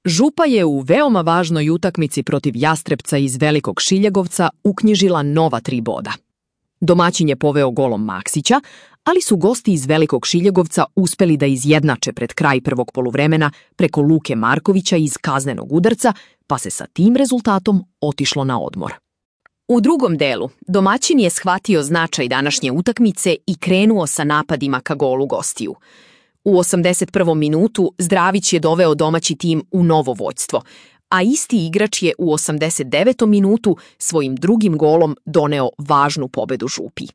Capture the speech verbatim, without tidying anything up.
Župa je u veoma važnoj utakmici protiv Jastrebca iz Velikog Šiljegovca uknjižila nova tri boda. Domaćin je poveo golom Maksića, ali su gosti iz Velikog Šiljegovca uspeli da izjednače pred kraj prvog poluvremena preko Luke Markovića iz kaznenog udarca, pa se sa tim rezultatom otišlo na odmor. U drugom delu domaćin je shvatio značaj današnje utakmice i krenuo sa napadima ka golu gostiju. U osamdeset prvom minutu Zdravić je doveo domaći tim u novo vođstvo, a isti igrač je u osamdeset devetom minutu svojim drugim golom doneo važnu pobedu Župi.